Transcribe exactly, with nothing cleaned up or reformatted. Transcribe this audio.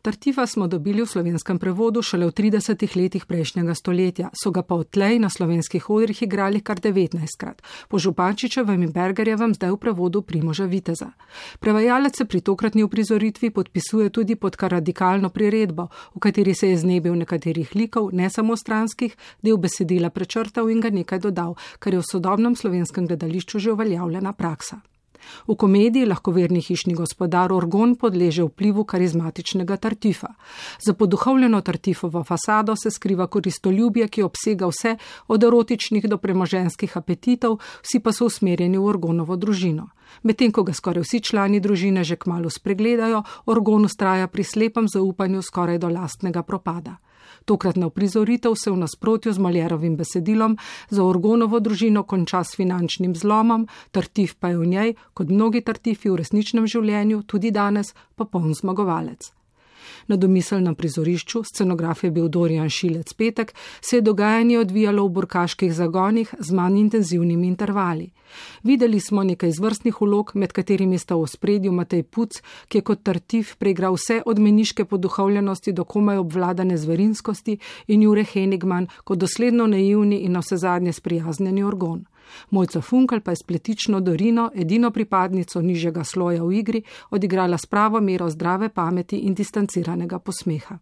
Tartifa smo dobili v slovenskem prevodu šele v tridesetih letih prejšnjega stoletja, so ga pa odtlej na slovenskih odrih igrali kar devetnajstkrat, po Župančičevem in Bergerjevem zdaj v prevodu Primoža Viteza. Prevajalec se pri tokratni uprizoritvi podpisuje tudi pod kar radikalno priredbo, v kateri se je znebil nekaterih likov, ne samo stranskih, del besedila prečrtal in ga nekaj dodal, kar je v sodobnem slovenskem gledališču že uveljavljena praksa. V komediji lahkoverni hišni gospodar Orgon podleže vplivu karizmatičnega Tartifa. Za poduhovljeno Tartifovo fasado se skriva koristoljubje, ki obsega vse od erotičnih do premoženskih apetitov, vsi pa so usmerjeni v Orgonovo družino. Medtem ko ga skoraj vsi člani družine že kmalu spregledajo, Orgon ustraja pri slepem zaupanju skoraj do lastnega propada. Tokratna uprizoritev se v nasprotju z Molièrovim besedilom za Orgonovo družino konča s finančnim zlomom, Tartif pa je v njej, kot mnogi Tartifi v resničnem življenju, tudi danes, popoln zmagovalec. Na domiselnem prizorišču, scenograf je bil Dorijan Šilec Petek, se je dogajanje odvijalo v burkaških zagonih z manj intenzivnimi intervali. Videli smo nekaj izvrstnih vlog, med katerimi sta v ospredju Matej Puc, ki je kot Tartif preigral vse od meniške poduhovljenosti do komaj obvladane zverinskosti, in Jure Henigman kot dosledno naivni in navsezadnje sprijaznjeni Orgon. Mojca Funkel pa je s pletično Dorino, edino pripadnico nižjega sloja v igri, odigrala s pravo mero zdrave pameti in distanciranega posmeha.